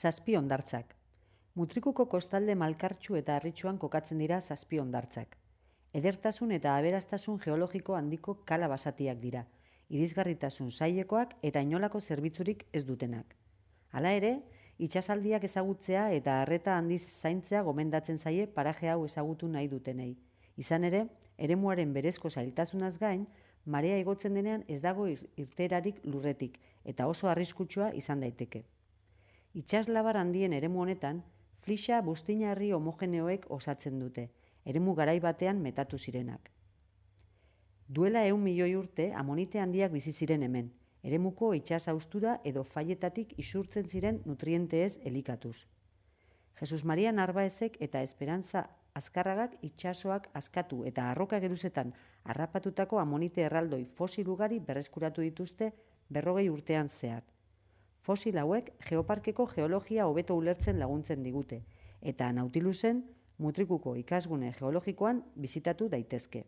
Zazpi hondartzak. Mutrikuko kostalde malkartsu eta harritsuan kokatzen dira zazpi hondartzak. Edertasun eta aberastasun geologiko handiko kala basatiak dira, irisgarritasun zailekoak eta inolako zerbitzurik ez dutenak. Hala ere, itsasaldiak ezagutzea eta arreta handiz zaintzea gomendatzen zaie paraje hau ezagutu nahi dutenei. Izan ere, eremuaren berezko zailtasunaz gain, marea igotzen denean ez dago irteerarik lurretik eta oso arriskutsua izan daiteke. Itsaslabar handien eremu honetan, flixa buztina-herri homogeneoek osatzen dute, eremu garai batean metatu zirenak. Duela 100 milioi urte amonite handiak bizi ziren hemen, eremuko itsas haustura edo faietatik isurtzen ziren nutrienteez elikatuz. Jesus Maria Narbaezek eta Esperantza Azkarragak itsasoak askatu eta arroka geruzetan harrapatutako amonite erraldoi fosil ugari berreskuratu dituzte 40 urtean zehar. Fosil hauek geoparkeko geologia hobeto ulertzen laguntzen digute, eta Nautilusen Mutrikuko ikasgune geologikoan bisitatu daitezke.